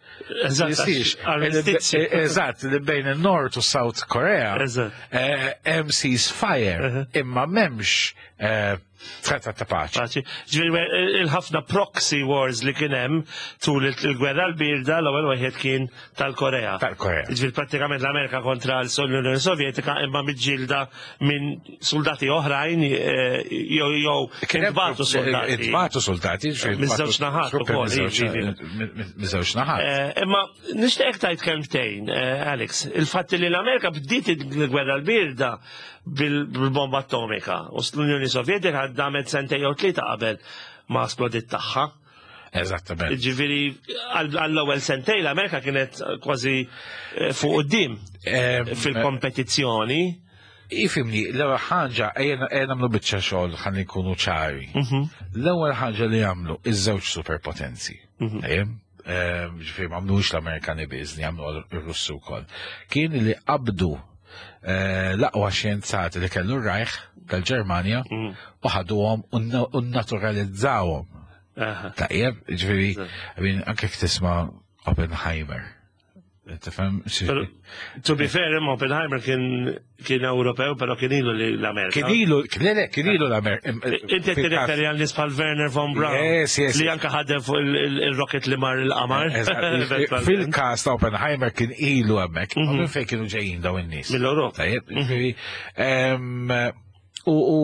Eżatt. Jisix. Armistizju. Eżatt, li bejn il-North u South Korea. Eżatt. eh, Hemm ceasefire, imma m'hemmx eh, trattat ta' paċi. Paċi. Ġifieri il-ħafna proxy wars li kien hemm tul il-gwerra l-birda, l-ewwel wieħed kien tal-Korea. Tal-Korea. Ġifieri prattikament l-Amerika kontra l-Unjoni Sovjetika, imma miġġielda minn soldati oħrajn eh, jew jew Kien hemm intbagħtu soldati. Intbagħtu soldati. Ġifieri Miż-żewġ naħat truppi ukoll, miż-żewġ- jiġifieri. Miż-żewġ naħat. Eh, Imma nixtieq tgħid kelmtejn, eh, Alex, il-fatt li l-Amerika bdiet il-gwerra l-birda bil- bil-bomba atomika u l-Unjoni Sovjetika damet sentejn jew tlieta qabel ma splodit tagħha. Eżattament. Ġifieri għall-ewwel sentejn l-Amerika kienet kważi eh, fuq quddiem Em, fil-kompetizzjoni. Ifhimni, l-ewwel ħaġa ejja ejja nagħmlu biċċa xogħol ħalli nkunu ċari. L-ewwel ħaġa li jagħmlu iż-żewġ superpotenzi. Ejjem? Ehm, Ġifieri ma għamlux l-Amerikani biss, li għamlu r-Russu wkoll. Kien li qabdu eh, l-aqwa xjenzati li kellu r-Reich tal-Ġermanja u ħaduhom u na- u naturalizzawhom. Aha. Tajjeb, ġifieri, I mean, anke jekk tisma' Oppenheimer. Tifhem? Pero, to be fair, imma Oppenheimer kien kien Ewropew, pero kien ilu li l-Amerika. Kien ilu, le, le, kien ilu l-Amerika. Inti tirreferi għal nies bħal Wernher von Braun. Yes, yes. Li anka ħadem fuq il- il- il-rocket li mar il-qamar. Fil-kas ta' Oppenheimer kien ilu hemmhekk, minn fejn kienu ġejjin daw in-nies? Mill-Ewropa. Tajjeb, ġifieri, em, U u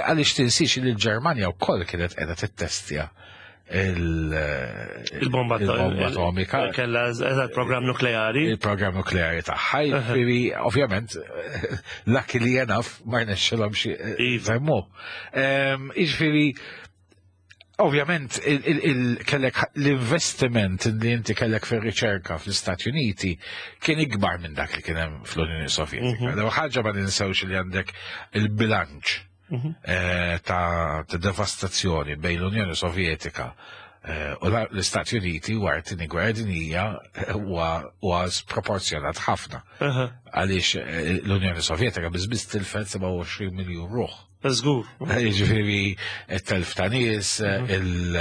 għaliex tinsiex li l-Ġermanja wkoll kienet qiegħda tittestja il- Il-bomba il-bomba atomika. Kella eżatt program nukleari. Il-programm nukleari tagħha, jiġifieri ovvjament luckily enough ma rnexxilhom xi Iva. żemmu. Jiġifieri ovvjament il- il- il- kellek l-investiment li inti kellek fir-riċerka fl-Istati Uniti kien ikbar minn dak li kien hemm fl-Unjoni Sovjetika. L ħaġa ma ninsewx li għandek il-bilanċ eh, ta' ta' devastazzjoni bejn l-Unjoni Sovjetika eh, u la- l-Istati Uniti wara t-tieni gwerra dinjija eh, huwa huwa sproporzjonat ħafna. Aha, Għaliex eh, l-Unjoni Sovjetika biss tilfet sebgħa u għoxrin miljun ruħ. Żgur. Jiġifieri it-telf ta' nies, il-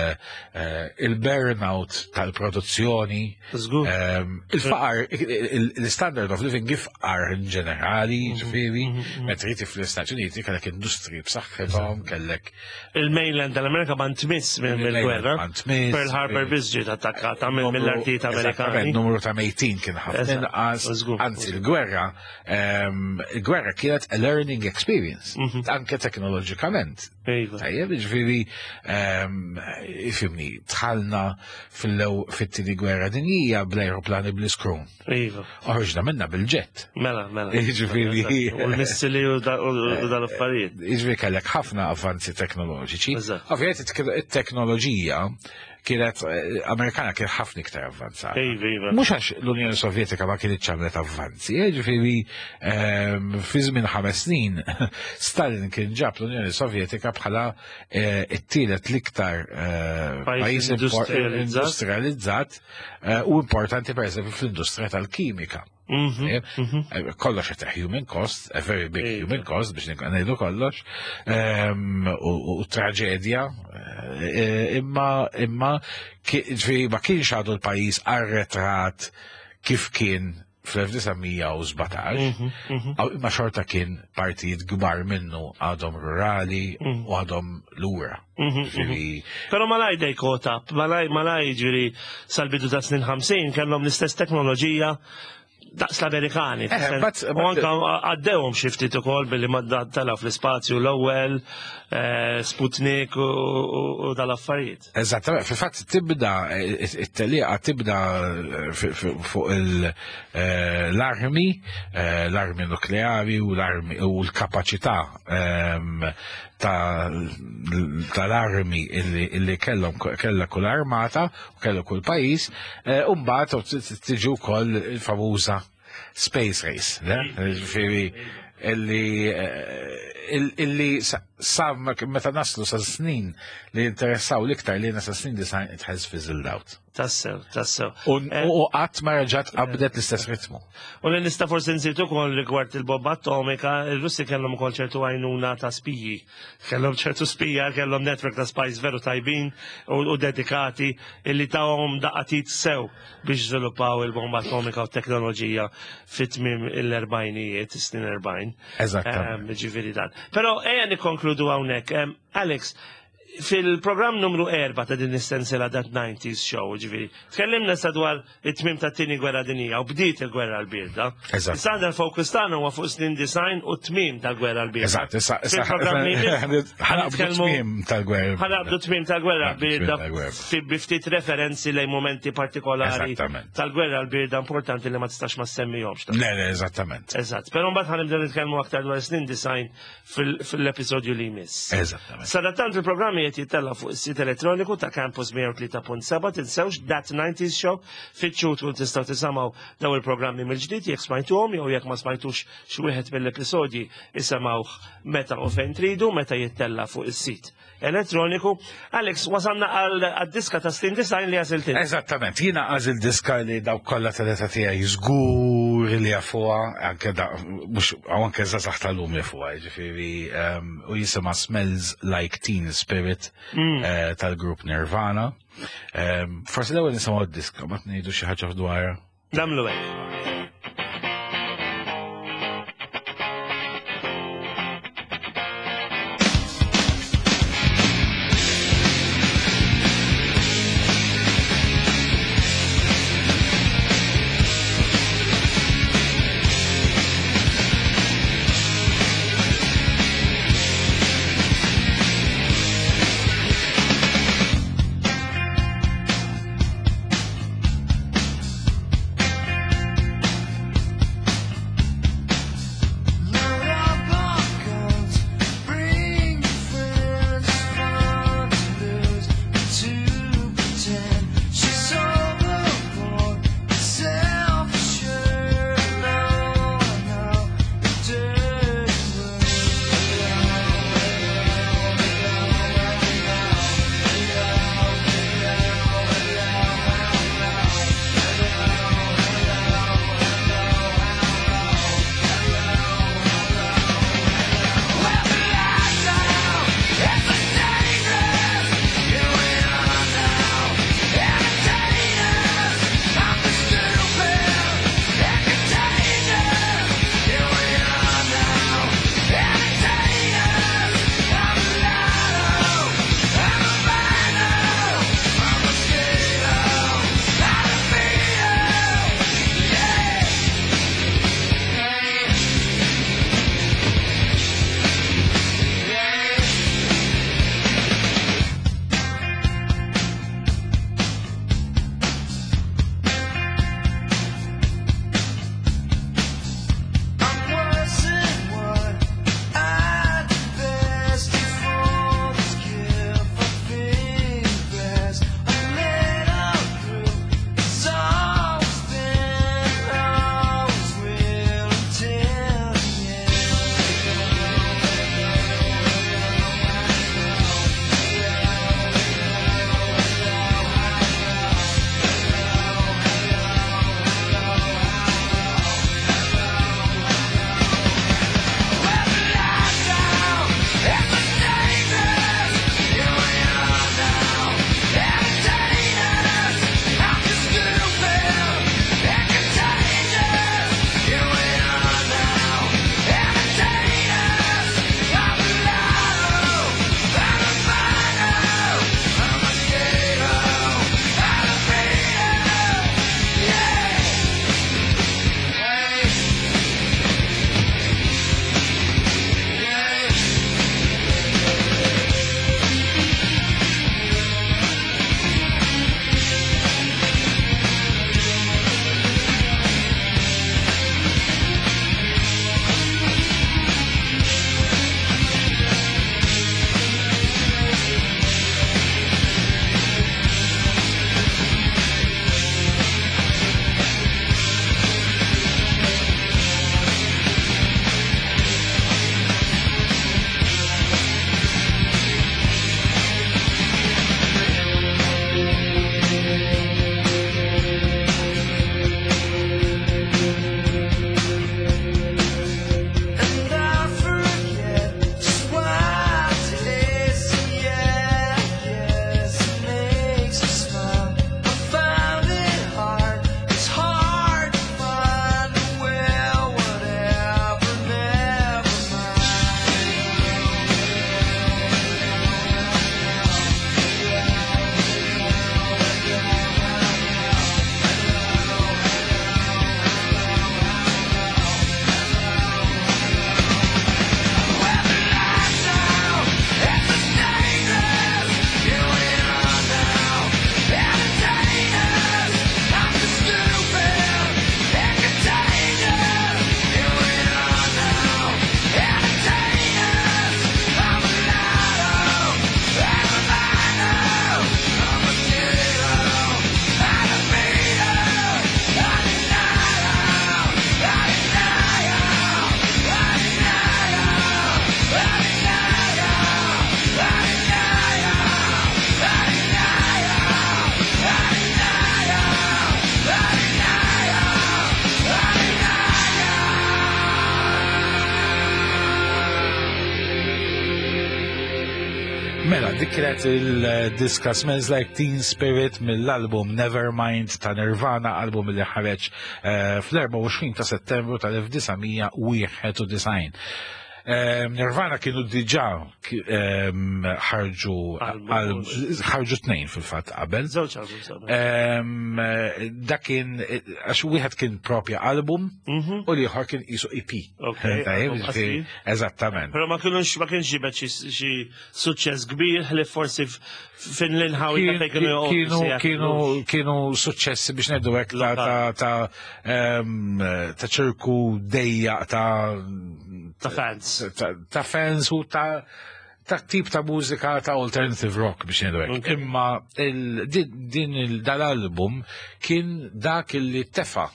eh, il-burnout tal-produzzjoni, Żgur. ehm, il-faqar, il- il-standard of living ifqar in ġenerali, ġifieri, meta riti fl-Istati Uniti kellek industri b'saħħithom, kellek Il-mainland tal-Amerika ma ntmiss minn mill-gwerra. Ma ntmiss. Pearl Harbor biss ġiet attakkata minn mill-artijiet Eżattament, Amerikani. numru ta' mejtin kien ħafna Eżatt, inqas. żgur. Anzi, il-gwerra, ehm, il-gwerra kienet a learning experience, anke teknoloġikament. Iva. Tajjeb, ġifieri, ehm, ifhimni, dħalna fil-lew fit-tieni gwerra dinjija bl-aeroplani bl-iskrun. Iva. Oħroġna minna bil-ġett. Mela, mela. Jiġifieri- U l-missili u da- u dal-affarijiet. Jiġifieri kellek ħafna avvanzi teknoloġiċi. Eżatt. Ovvijament it-teknoloġija kienet eh, Amerikana kien ħafna iktar avvanzata. Iva, iva. Mhux għax l-Unjoni Sovjetika ma kienitx għamlet avvanzi, eh, ġifieri ehm, fi żmien ħames snin Stalin kien ġab l-Unjoni Sovjetika bħala eh, it-tielet l-iktar eh, Pajjiż pajjiż impor- industrializzat. industrializzat eh, u importanti per eżempju fl-industrija tal-kimika. Mhm, Eh, Kollox qed human cost, a very big Iva. human cost biex ngħidu kollox, ehm, u u traġedja, eh, imma imma ki- ġifieri ma kienx għadu l-pajjiż arretrat kif kien fl-elf disa' mija u sbatax, għaw imma xorta kien partijiet kbar minnu għadhom rurali u għadhom lura. Ġifieri, Pero malaj they caught up, malaj, malaj ġifieri sal-bidu ta' snin ħamsin kellhom l-istess teknoloġija daqs l-Amerikani. Eh, but- U anka għaddewhom xi ftit ukoll billi madda tela fl-ispazju l-ewwel, eh, Sputnik u- u u dal-affarijiet. Eżattament, fil-fatt tibda, it-telliqa tibda eh, fi- fi- fuq il- eh, l-armi, eh, l-armi nukleari u l-armi u l-kapacità ehm, ta' tal-armi illi illi kellhom kella kull armata u kellu kull pajjiż, eh, u mbagħad tiġi wkoll il-famuża space race, le? Ġifieri illi eh, il- illi sa sa meta naslu sa snin li interessaw l-iktar li sa snin design, it has fizzled out. Tassew, tassew. U u qatt ma reġgħet qabdet l-istess ritmu. U li nista forsi nżid ukoll rigward il-bomba atomika, il-Russi kellhom ukoll ċertu għajnuna ta' spiji. Kellhom ċertu spija, kellhom network ta' spies veru tajbin u, u dedikati illi tawhom daqqa t'id sew biex żviluppaw il-bomba atomika u teknoloġija fit-tmiem l-erbgħinijiet, is-snin erbgħin. Eżattament. Ehm, Ġifieri dan. Però ejja nikkonkludu hawnhekk. Em, Alex, fil-programm numru erba' ta' din is-sensela That nineties Show, ġifieri, tkellimna sa dwar it-tmiem ta' tieni gwerra dinija u bdiet il-gwerra l-birda. Eżatt. Issa għandna l-fokus tagħna huwa fuq snin design u tmiem tal-gwerra l-birda. Eżatt, issa issa Fil-programm li jmiss, ħa naqbdu ħanitkellmu- tmiem tal-gwerra. ħa naqbdu tmiem tal-gwerra Ħa naqbdu tmiem l-birda tal-gwerra. fi bi ftit referenzi lejn momenti partikolari Eżattament. tal-gwerra l-birda importanti li ma tistax ma semmihomx. Le, le, eżattament. Eżatt, però mbagħad ħa nibdew nitkellmu aktar dwar snin design fil- fil-episodju li jmiss. Eżattament. Sadattant il-programmi qed jittella fuq is-sit elettroniku ta' Campus mija u tlieta punt seba', tinsewx That nineties Show, fittxu tkun tistgħu tisimgħu daw il-programmi mill-ġdid jekk smajtuhom jew jekk ma smajtux xi wieħed mill-episodji, isimgħuh meta u fejn tridu meta jittella fuq is-sit elettroniku. Alex, wasalna għal diska ta' snin design li għażilt int. Eżattament, jiena għażilt diska li daw kollha tal-età tiegħi żgur li jafuha, anke da mhux anke żgħażagħ tal-lum jafuha, ġifieri um, u jisimha Smells Like Teen Spirit eh, tal-grupp Nirvana. Um, Forsi l-ewwel nisimgħu d-diska, ma ngħidu xi ħaġa dwarha. Nagħmlu hekk. Dik kienet il-diska Smells Like Teen Spirit mill-album Nevermind ta' Nirvana, album li ħareġ eh, fl-erbgħa u għoxrin ta' Settembru tal-elf disa' mija u wieħed u disgħin. Nirvana kienu diġà ehm, ħarġu Album, ħarġu tnejn fil-fatt qabel. Żewġ albums qabel. Ehm, Dak kien, għax wieħed kien propja album Mhm. u l-ieħor kien qisu E P. Ok, Tajjeb, album ġifieri, qasir. eżattament. Pero ma kienux ma kienx ġibet xi xi suċċess kbir li forsi f- fin l-inħawi ta' fejn kienu joqogħdu Kienu Seattle. kienu kienu suċċessi biex ngħidu hekk ta' ta' ta' ehm, ta' ċirku dejjaq ta' ta' fans. ta' ta' fans u ta' ta' tip ta' mużika ta' alternative rock biex ngħidu hekk. Ok. Imma il- din din il- dal-album kien dak li tefa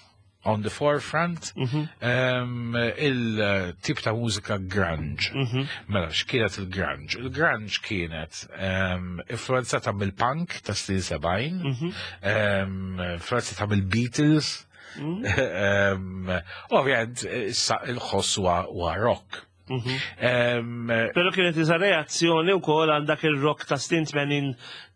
on the forefront Mhm. um, il-tip ta' mużika grunge. Mhm. Mela, x'kienet il-grunge? Il-grunge kienet um, influenzata mill-punk ta' snin sebgħin, Mhm. um, influenzata mill-Beatles, Mhm. um, ovvjament, issa il-ħoss huwa huwa rock. Mhm. Um, Pero kienet iża reazzjoni wkoll għal dak il-rock ta' snin tmenin.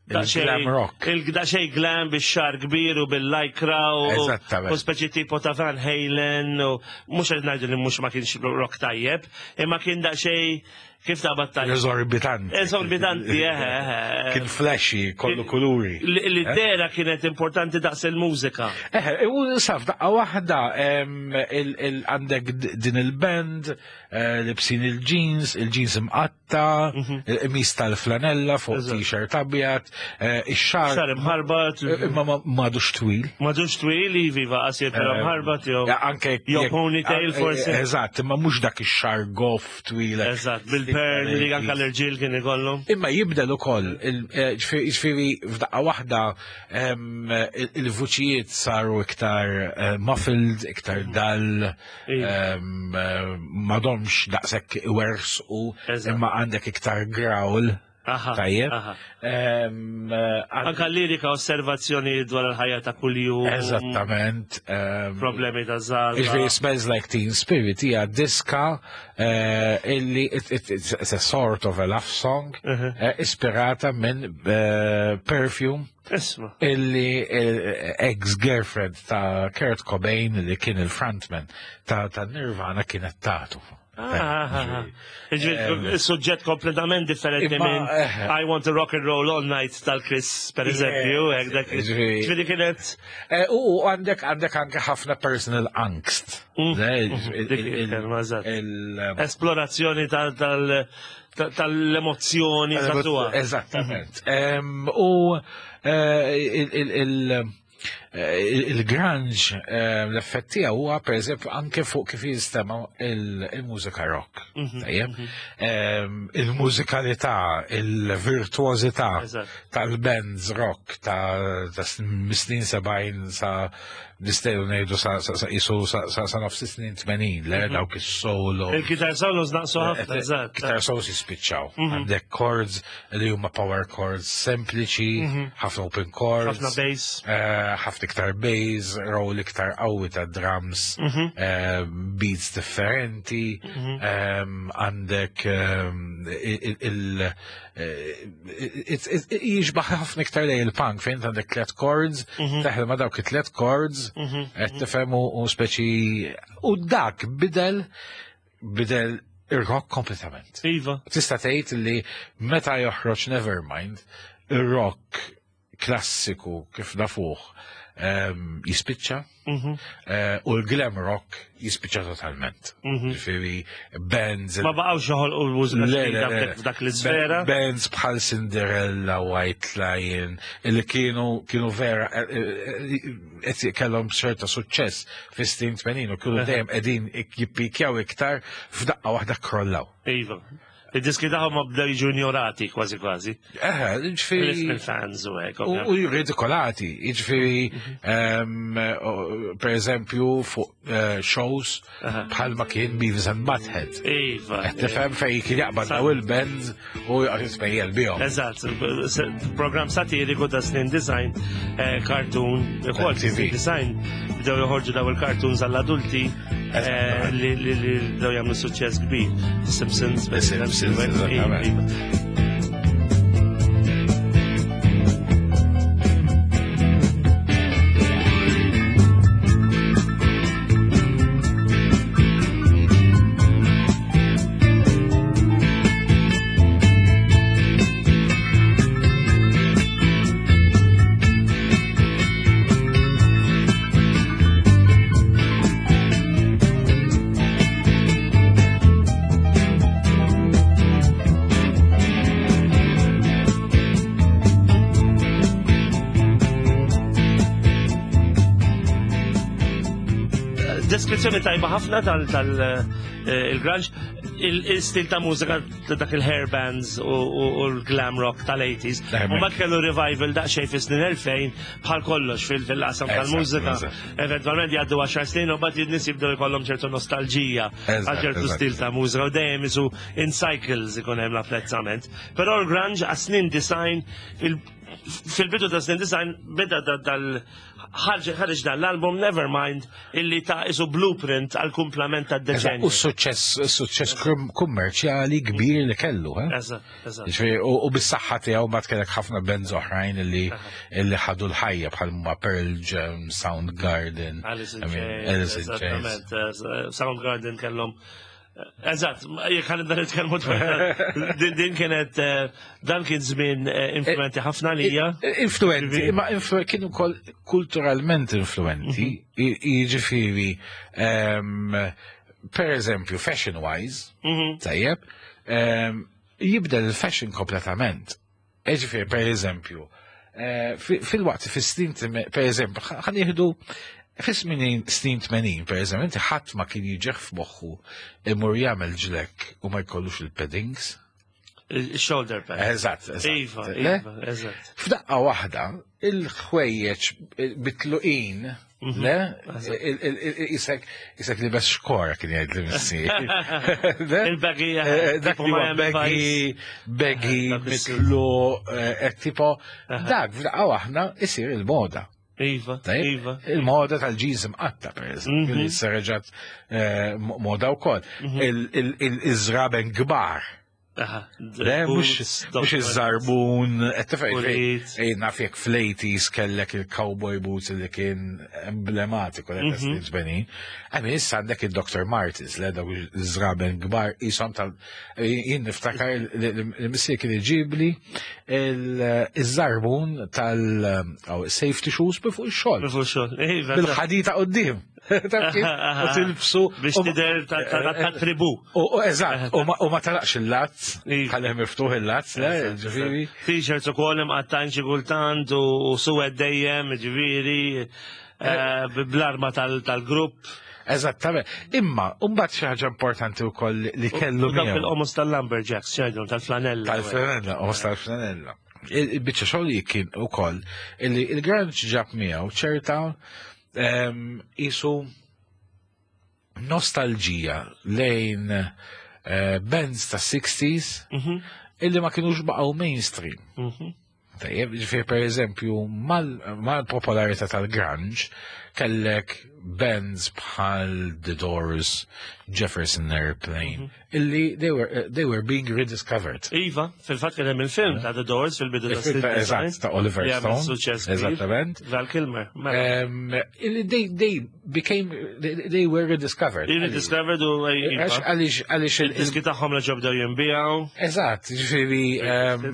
Il-glam rock. Il-daqsxejn glam bix-xagħar kbir u bil-lycra u Eżattament. u speċi tipo ta' Van Halen u mhux qed ngħidu li mhux ma kienx rock tajjeb, imma kien daqsxejn kif ta' battajja. Eżorbitanti. Eżorbitanti, eħe, eħe. Kien flashy, kollu kuluri. Li li d-dehra kienet importanti daqs il-mużika. Eħe, u saf, daqqa waħda, em, il- il- għandek d- din il-band, eh, libsin il-jeans, il-jeans imqatta, il-qmis tal-flanella fuq Eżatt. T-shirt abjad, eh, ix-xagħar Xagħar imħarbat, imma ma- m'għadux twil. M'għadux twil, iva, qasir però mħarbat, jew. Ja, anke Jew jekk- ponytail eh, forsi. Eżatt, imma mhux dak ix-xagħar goff twil. Eżatt, bil-perm li anka l-irġiel kien ikollhom. Imma jibdel ukoll, il- eh, ġifieri ġifieri f'daqqa waħda em, il- il-vuċijiet saru iktar eh, muffled, iktar dull, Iva. em, eh, m'għadhomx daqshekk iwersqu, Eżatt. imma għandek iktar growl. Aha, Tajjeb. aha. Em, eh, għand- Anka lirika, osservazzjoni dwar il-ħajja ta' kuljum. Eżattament. em, Problemi ta' żgħażagħ. Ġifieri Smells Like Teen Spirit hija diska eh, illi it, it, it's, it's a sort of a love song Mhm. eh, ispirata minn eh, Perfume Isma. illi eh, ex-girlfriend ta' Kurt Cobain li kien il-frontman ta', ta' Nirvana kienet tatu. Ah, ah, ah. Ġifieri, suġġett kompletament differenti Imma, minn eh. I Want to Rock and Roll All Night tal-Kiss, per eżempju. hekk dak- Ġifieri- Ġifieri kienet. Eh, U għandek għandek anke ħafna personal angst. Mm. Le, Mhm. il- Dik il- il-kelma, eżatt. il- Esplorazzjoni tal- tal- tal- tal-emozzjoni ta' Eżattament. Em, U eh, il- il- il- eh, il-grunge, eh, l-effett tiegħu huwa pereżempju anke fuq kif jinstema' il- il-mużika rock. Mhm, Tajjeb? Em, Il-mużikalità, il-virtuożità Eżatt. tal-bands rock ta' ta' snin sebgħin sa nistgħu ngħidu sa sa sa isu sa sa sa nofs snin tmenin, le dawk is-solo. Il-guitar solos naqsu ħafna, eżatt. Guitar solos jispiċċaw. Għandek chords li huma power chords sempliċi, ħafna open chords. Ħafna bass. eh, ħafna iktar bass, roll iktar qawwi ta' drums, eh, beats differenti, em, għandek em, il- il- eh, it- it- jixbaħ ħafna iktar lej il-punk fejn għandek tlet chords, teħel ma dawk it-tlet chords, qed tifhem u u speċi u dak bidel bidel ir-rock kompletament. Iva. Tista' tgħid li meta joħroġ Nevermind, ir-rock klassiku kif nafuh em, jispiċċa Mhm. eh, u l-glam rock jispiċċa totalment. Ġifieri bands Ma baqgħux joħolqu l-mużika Le, le, ġdida le. f'dak- f'dak l-isfera. Bands bħal Cinderella, White Lion, illi kienu kienu vera eh, eh, eh, kellhom ċerta suċċess fis-snin tmenin u kienu dejjem qegħdin jippikjaw iktar, f'daqqa waħda krollaw. Iva. Id-diski tagħhom ma bdew jiġu ignorati kważi kważi. Eħe, ġifieri Mill-fans u hekk. U u ridikolati, jiġifieri, em, o- per eżempju, fuq eh, shows bħalma kien Beavis and Butthead. Iva. Qed tifhem fejn kien jaqbad daw il-bands u joqgħod jitmejjel bihom. Eżatt, program satiriku ta' snin disgħin, eh, cartoon, ukoll M T V. snin disgħin, bdew joħorġu daw il-cartoons għall-adulti eh, li li li bdew jagħmlu suċċess kbir. The Simpsons, The Simpsons, eżattament. Iva. Deskrizzjoni tajba ħafna tal-grunge, il-stil ta' mużika ta' dak il-hair bands u u l-glam rock tal-eighties. Hemmhekk. U mbagħad kellu revival daqsxejn fis-snin elfejn, bħal kollox fil- fil-qasam Eżatt, tal-mużika. eżatt. Eventualment jgħaddu għaxar snin u mbagħad in-nies jibdew jkollhom ċertu nostalġija Eżatt, għal ċertu eżatt. stil ta' mużika u dejjem isu in cycles ikun hemm l-apprezzament. Però l-grunge għas-snin disgħin, fil- fil-bidu ta' snin disgħin beda da- dal ħarġ ħareġ dan l-album Nevermind, illi ta' isu blueprint għal kumplament ta' Eżatt, deċenju. U suċċess suċċess kum- kummerċjali kbir li kellu, eh? Eżatt, eżatt. Ġifieri, U u bis-saħħa tiegħu mbagħad kellek ħafna bands oħrajn illi illi ħadu l-ħajja bħal ma Pearl Jam, Soundgarden, Alice in I mean, Chains. Alice in Chains. Eżattament, eh, Soundgarden kellhom. Eżatt, jekk ħa nibda nitkellmu dwar din din kienet eh, dan kien żmien eh, influenti ħafna lija. Influenti, imma influ, kienu kol kulturalment influenti, Mhm. jiġifieri, em, per eżempju, fashion-wise, Mhm. tajjeb, em, jibdel il-fashion kompletament. Ġifieri, per eżempju, eh, fi- fil-waqt, fis-snin, per eżempju, ħa nieħdu fis-snin snin tmenin, per eżempju, inti ħadd ma kien jiġih f'moħħu imur jagħmel ġlekk u ma jkollux il-paddings. Il-shoulder pad. Eżatt, eżatt. Iva, Le? iva, eżatt. F'daqqa waħda, il-ħwejjeġ bitluqin, le? Il- il- il- Isek, isek li bes xkora kien jgħid li missier. Le? Il-baggy, Eh, Dak tipo li huwa Miami baggy, baggy, Dak is-suit. mitlu, eh, tipo, dak f'daqqa waħda isir il-moda. Iva, Tajjeb? iva. Il-moda tal-jeans imqatta, per eżempju, li reġgħet eh, moda wkoll. Il-żraben kbar. Aha. Le, mux mux iż-żarbun, Pulit. qed naf jekk fl-eighties kellek il-cowboy boots li kien emblematiku l snin tmenin. Għami issa għandek il-Doctor Martens, le, dawk iż-żraben kbar, jisom tal. Jien niftakar li li missier kien iġibli il-żarbun tal-safety shoes bi fuq ix-xogħol. Fuq xogħol. Iva, Bil-ħadita quddiem. Taf kif? U tilbsu. Biex u- tidher ta' ta' ta' tribu. U u eżatt, u ma- u ma talaqx il-lazz, Iva. ħaleh miftuħ il-lazz, le, ġifieri. T-shirts u koll imqattajn xi kultant u u suwed dejjem, ġifieri, eh, bl-arma tal- tal-grupp. Eżattament. Imma, mbagħad xi ħaġa importanti wkoll li kellu U dawk miegħu. il-qomos tal-lumberjacks, xejdhom, tal-flanella. Tal-flanella, qomos tal-flanella. Il-biċċa xogħol li kien ukoll illi il-grunge ġab miegħu ċerta em, isu nostalġija lejn eh, bands ta' sixties Mhm, illi ma kienux baqgħu mainstream. mhm. Tajjeb, ġifieri per eżempju, mal-popolarità tal-grunge, kellek bands bħal The Doors, Jefferson Airplane, illi they were, uh, they were being rediscovered. Iva, fil-fatt kien hemm il-film ta' The Doors fil-bidu ta' Il-film ta' eżatt, ta' Oliver Li għamel Stone. suċċess kbir. Eżattament. Val Kilmer. Mela. Um, illi they, they became, they, they were rediscovered. Rediscovered u iva. Għax- Għaliex, għaliex il- Il-diski tagħhom li ġobdew jinbiegħu. Eżatt, ġifieri, um,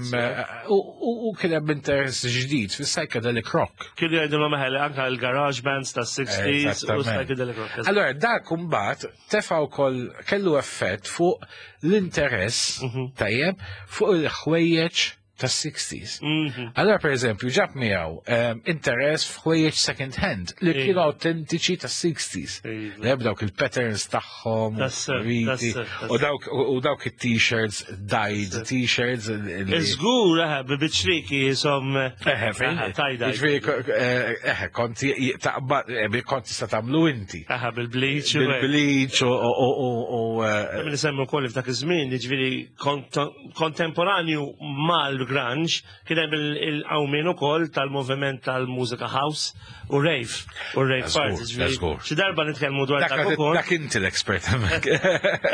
u u- u kien hemm interess ġdid fis-psychedelic rock. Kienu jgħidulhom eħel anka l-garage bands ta' sixties u Eżattament. psychedelic rock. Allora, dak mbagħad tefa' wkoll kellu effett fuq l-interess, tajjeb, fuq il-ħwejjeġ tas-sixties. Mhm. Allora, per eżempju, ġab miegħu um, interess f'ħwejjeġ second hand li Iva. kienu autentiċi tas-sixties. Iva. Li dawk il-patterns tagħhom, Tassew, riti, tassew, tassew. u dawk u dawk it-t-shirts, dyed t-shirts. li- Żgur, eħe, biċriki jisom. Eħe, fejn? Tie-dye. Ġifieri, eh, eħe, konti taqbad, eh, konti sa tagħmlu inti. Eħe, bil-bleach. u hekk. Bil-bleach u u u u eh, Min nisemmu wkoll f'dak iż-żmien, jiġifieri kont- kontemporanju mal-grunge, kien hemm il-qawmien ukoll tal-moviment tal-mużika house u rave u rave Żgur, parties. Ġifieri, żgur. xi darba nitkellmu dwar Dak dak ukoll. dak inti l-expert hemmhekk.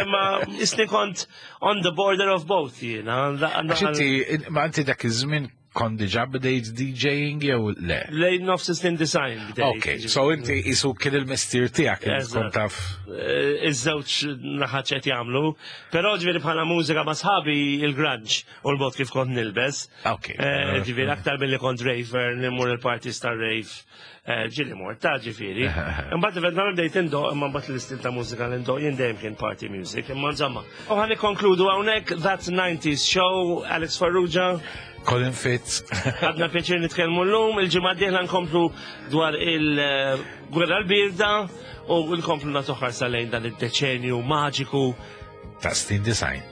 Imma isni kont on the border of both jiena. Għax inti, ma inti dak iż-żmien kont diġà bdejt DJing jew le? Lejn nofs snin disgħin bdejt. Ok, so inti isu kien il-mestier tiegħek li tkun Eżatt. taf. Eh, iż-żewġ naħat qed jagħmlu, però ġifieri bħala mużika ma' sħabi il-grunge u l-mod kif kont nilbes. Ok. Eh, Ġifieri aktar milli kont raver, nimur il-parties ta' rave, eh, ġieli mort ta' ġifieri. Imbagħad eventwalment bdejt indoq, imma mbagħad l-istil ta' mużika li ndoq jien dejjem kien party music, imma insomma. U ħa nikkonkludu hawnhekk That nineties Show, Alex Farrugia. Colin Fitz. Għadna pjaċir nitkellmu llum, il-ġimgħa d-dieħla nkomplu dwar il-gwerra l-birda u nkomplu nagħtu ħarsa lejn dan id-deċenju maġiku ta' snin disgħin.